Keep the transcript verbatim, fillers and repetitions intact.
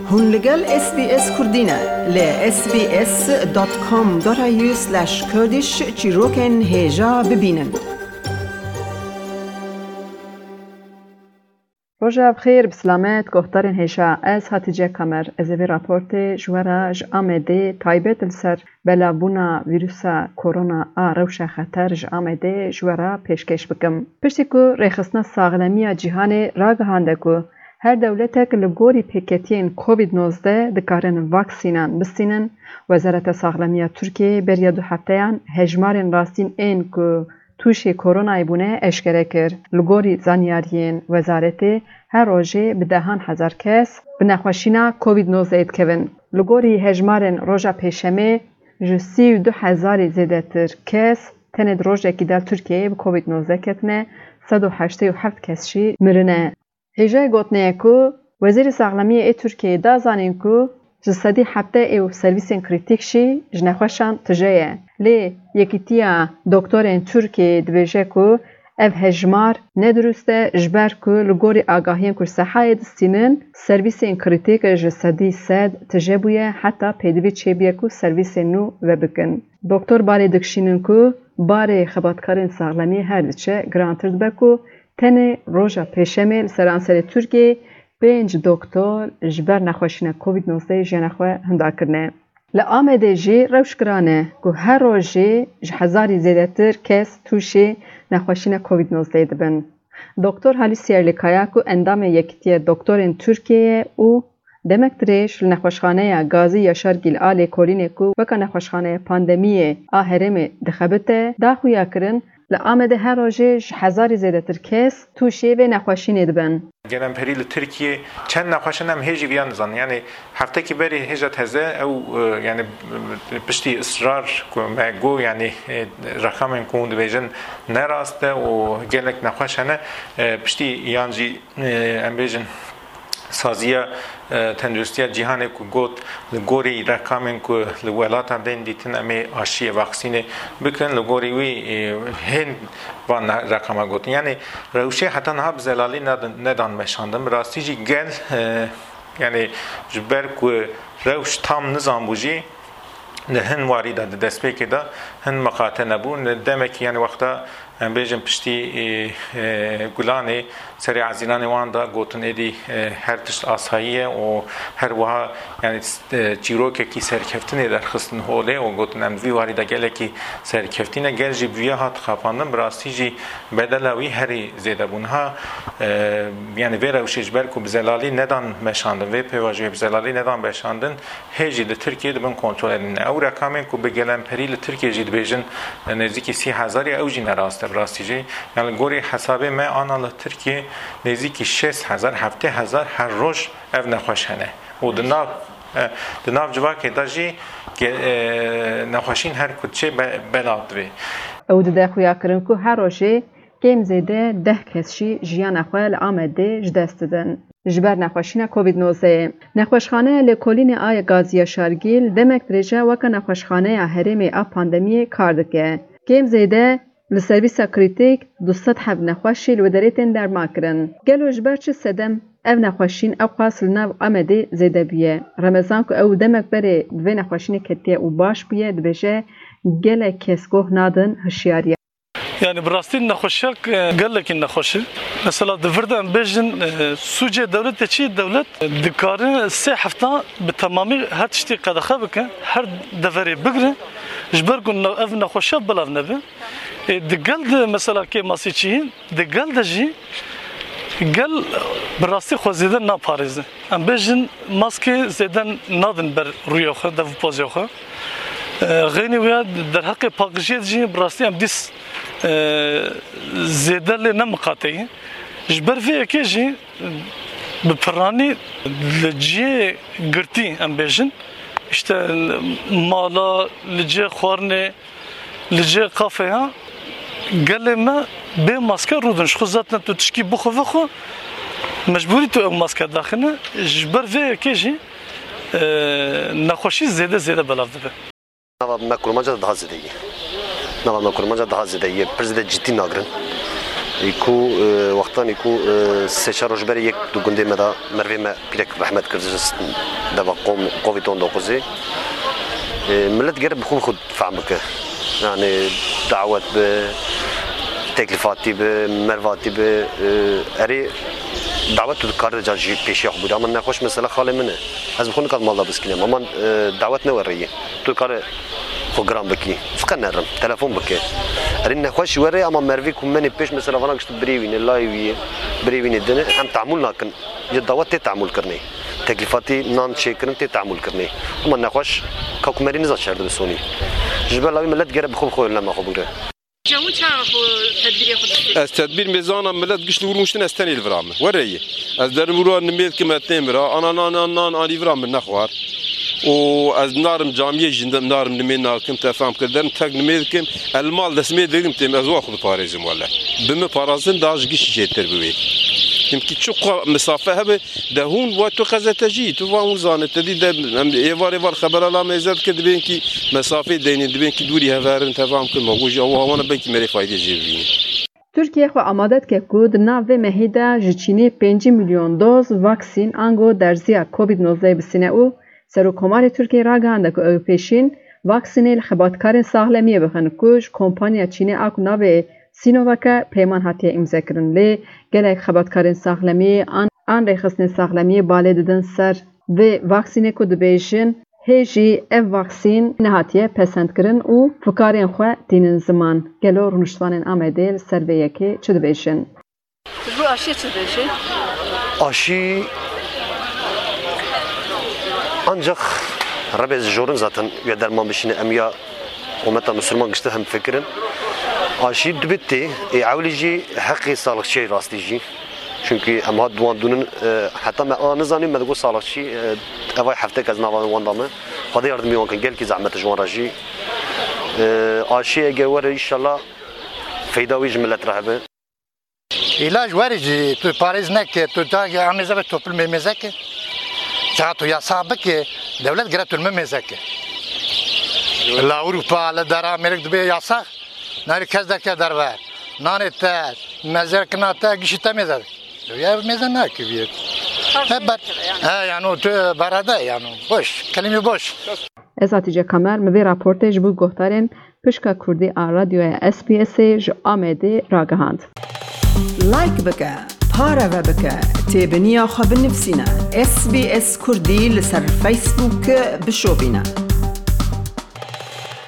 Hûn li gel S B S Kurdî ne. Li S B S dot com dot A U slash Kurdish çîrokên hêja bibînin. Roja bi xêr, bi silamet, guhdarên hêja. Ez Hatice Kamer. Ez ê vê raportê ji we re ji Amedê taybet li ser belavbûna vîrusa korona a rewşa xeter ji Amedê ji we re pêşkêş bikim. Piştî ku Rêxistina Saxlemiya Cîhanê ragihande ku her dewletek li gorî pêketiyên Covid nozdeh dikarin vaksînan bistînin, Wezareta Saxlemiya Tirkiyeyê beriya du hefteyan hejmarên rastîn ên ku tûşê koronayê bûne eşkere kir. Li gorî zanyariyên wezaretê, her rojê bi dehan hezar kes bi nexweşîna Covid nozdeh dikevin. Li gorî hejmarên roja pêşemê, ji sî û du hezarî zêdetir kes tenê di rojekî de li Tirkiyeyê bi Covid nozdeh ketine, sed û heştê û heft kes jî mirine. Hêjayê gotinê ye ku Wezîrê Saxlemiyê ê Tirkiyeyê da zanîn ku ji sedî heftê û servîsên krîtîk jî ji nexweşan tije ye. Lê Yekîtiya Doktorên Tirkiyeyê dibêje ku ev hejmar ne dirust e, ji ber ku li gorî agahiyên ku ji sehayê distînin, servîsên krîtîk ji sedî sed tije bûye, heta pêdivî çêbûye ku servîsên nû vebikin. Doktor barê dikişînin ku barê xebatkarên saxlemiyê her diçe girantir dibe ku tenê roja pêşemê li seranserê Tirkiyeyê pênc doktor ji ber nexweşîna Covid nozdeh jiyana xwe hinda kirine. Li Amedê jî rewş giran e ku her rojê ji hezarî zêdetir kes tûşê nexweşîna Covid nozdeh dibin. Doktor Halis Yerlikaya ku endamê Yekîtiya Doktorên Tirkiyeyê ye û demek dirêj li nexweşxaneya Gazî Yaşargîl a Lêkolînê ku weka nexweşxaneya pandemiyê a herêmê dixebite, da xuyakirin, li Amedê her rojê ji hezarî zêdetir kes tûşê vê nexweşînê dibin. Gelemperî li Tirkiyê çend nexweşin em hê jî viya nizanin. Yanî heftekî berê hêja teze ew, e, yanî, e, piştî israr ku me got, yanî, e, reqamên ku hûn dibêjin ne rast e û gelek nexweş hene, e, piştî yan jî, e, em bêjin saziya, e, tenduristiya cîhanê ku got li gorî reqamên ku li welatan bên dîtin em ê aşiyê vaksînê bikin, li gorî wî, e, hên van reqama gotin. Yanî rewşê heta niha bi zelalî nedin, nedan meşandin. Bi rastî jî gel, e, yanî ji ber ku rewş tam nizan bû jî, di hin warî de, di destpêkê de hin miqate nebû. Li demekî, yanî wexta em bêjin piştî, e, e, Gulanê serê ezîlanê wan de gotin êdî, e, her tişt asayî ye û her wiha, yanî, e, çîrokekî serkeftinê derxistin holê û gotin em vî warî de gelekî serkeftî ne. Gel jî bi vîya hat xapandin, bi rastî jî bedela wî herî zêde bû. Niha, e, yanî vê rewşê ji ber ku bi zelalî nedan meşandin, vê pêvajoyê bi zelalî nedan meşandin, hê jî li Tirkiyê dibin kontrolê de ne. Ew reqamên ku bi gelemperî li Tirkiyê jî dibêjin, e, nêzîkî sî hezar e, ew jî ne rast e, bi rastî jî. Yanî gorî hesabê me ana li Tirkiyê nêzîkî şêst hezar, heftê hezar her roj ev nexweş hene. Û di nav, e, di nav civakê de jî ge-, e, nexweşîn her ku diçê be-, belav divê. Ew dide xuyakirin ku her rojê kêm zêde deh kes jî jiyana xwe li Amedê ji dest didin. Ji ber nexweşîna Covid nozdeh. Nexweşxaneya Lêkolînê a Gazî Yaşargîl demek dirêj e weke nexweşxaneya herêmê a pandemiyê kar dike. Kêm zêde li servîsa krîtîk du sed heb nexweş jî li wê derê tên dermankirin. Gelo ji ber çi sedem ev nexweşîn ewqas li nav Amedê zêde bûye? Remezan ku ew demek berê bi vê nexweşînê ketiye û baş bûye, dibêje, gelek kes goh nadin hişyariya. Yani bi rastî nexweşiyek, e, gelekî nexweş e. Mesela di vir de em bêjin, e, sûcê dewletê çi ye? Dewlet, e, dikare sê hefta bi temamî her tiştî qedexe bike, her deverê bigire, ji ber ku ne-, ev nexweşiya belav nebe. E, di gel de mesela kêmasî çi ye? Di gel de jî gel bi rastî xwe zêde naparêze. Em bêjin maskê zêde nadin ber rûyê xwe, dev û pozê xwe. E, xeynî wê ya derheqê paqijiyê de jî bi rastî em dîs, e, zêde lê ne miqate ye. Ji ber vê yekê jî bi piranî li cihê girtî em bêjin, işte mala, li cihê xwarinê, li cihê kafeya gelê me bê maske rûdin. Ji xwe zaten tu tişkî bixwe vexwe, mecbûrî tu ew maske daxine. Ji ber vê yekê jî, e, nexweşî zêde zêde belav dibe. Nava me kurmanca de daha zêde ye. Nava me kurmanca daha zêde ye. Pir zêde cidî nagirin. Ê ku, e, wextanê ku, e, sê çar roj berê yek di gundê me de mervê me pîrek rehmet kir, deva qom, Covid on dokuzê. E, millet gere bi xwe bi xwe fehm bike. Yani dawet bi, teklîfatî bi, mervatî bi, e, erê dawet tu dikare ca jî pêşiya xwe bûre. Ama nexweş mesela xalê min e. Ez bi xwe nikat mal de biskînim. Ama, e, dawet ne werê ye. Tu dikare xwe giran bikî. Fiqe nerim, telefon bike. Erê nexweş were ama mervî ku menê pêş mesela vana gişt birê wîne, layê wî ye, birê wîne dine, em tahmûl nakin. Ji dawet tê tahmûl kirinê. Teklîfatî nan çêkirin tê tahmûl kirinê. Ama nexweş ka ku merî niza çer dibe sonî. Ji ber lawî millet gere bi xwe bi xwe önlema xwe bigre. Cemû çawa xwe tedbirê xwe distê? Ez tedbîr mêzana millet gişt li wir rûniştin ez tenê li vira me. Were ye. Ez derin vira nimê dikim ez tên vira. Ana nan nan nan anî vira min nexwar. Û ez narim camiyê jî narim nimê nakim te fam kir. Derim tek nimê dikim. El mal destmê dikim têm ez wa xwe diparêzim wele. Bi min parazin daha ji gişt jêtir bi wê. Çimkî çiqa misafe hebe de hûn wa tu qezetecî, tu van hûn zane, te dî de em êvar êvar xebera la mêze dike dibên kî mesafê deynin, dibên kî dûrî heverin, te fam kir me. Û jî ew hawana belkî merê faydê jê bibînin. Tirkiye xwe amade dike ku di nav vê mehî de ji Çînê pêncî milyon doz vaksîn ango derziya Covid nozdeh bisîne û Serokkomarê Tirkiyê ragihande ku ew ê pêşîn vaksînê li xebatkarên saxlemiyê bixin ku ji kompanya Çînê a ku navê Sinovac e peyman hatiye îmzekirin. Lê gelek xebatkarên saxlemiyê an, an rêxistinên saxlemiyê balê didin ser vê vaksînê ku dibêjin, hê jî ev vaksîn nehatiye pesendkirin û fikarên xwe tînin ziman. Gelo rûniştvanên Amedê li ser vê yekê çi dibêjin? Ji bo aşiyê çi dibêjî? Aşî ancak rebê jorin zaten ya derman bişîne, em ya ummeta Müslüman gişte hem fikirin. Aşî dibê tê, ê ewlî jî heqê sağlıkçiyê rastî jî. Çünkü em hat duan dûnin, e, heta me a nizanî me digot sağlıkçî, e, evay heftek ez nava wan da me. Xwedê yardimî wan kin, gelkî zehmet ji wan re jî. E, aşî ege were inşallah feyda wî ji millet re hebe. Îlac werî jî tu parêz neke, tu da amêze ve toplumê mêze ke. Çaxa tu yasa bike, dewlet gere tu li min mêze ke. La Ewropa, li dera Amerîk dibe yasa, nayê kes derke derve. Nanê te, mezerkina te, gişî te mêze. Ya mêze nakiviyet. He, ber-, he, yani o tu berede yani. Boş, kelime boş. Ez Hatice Kamer, min vê raportê ji bo guhdarên Pişka Kurdî a Radyoya S B S'ê ji Amedê ragihand. Like bike, pareve bike, têbiniya xwe binivîsîne. S B S Kurdî li ser Facebook bişopîne.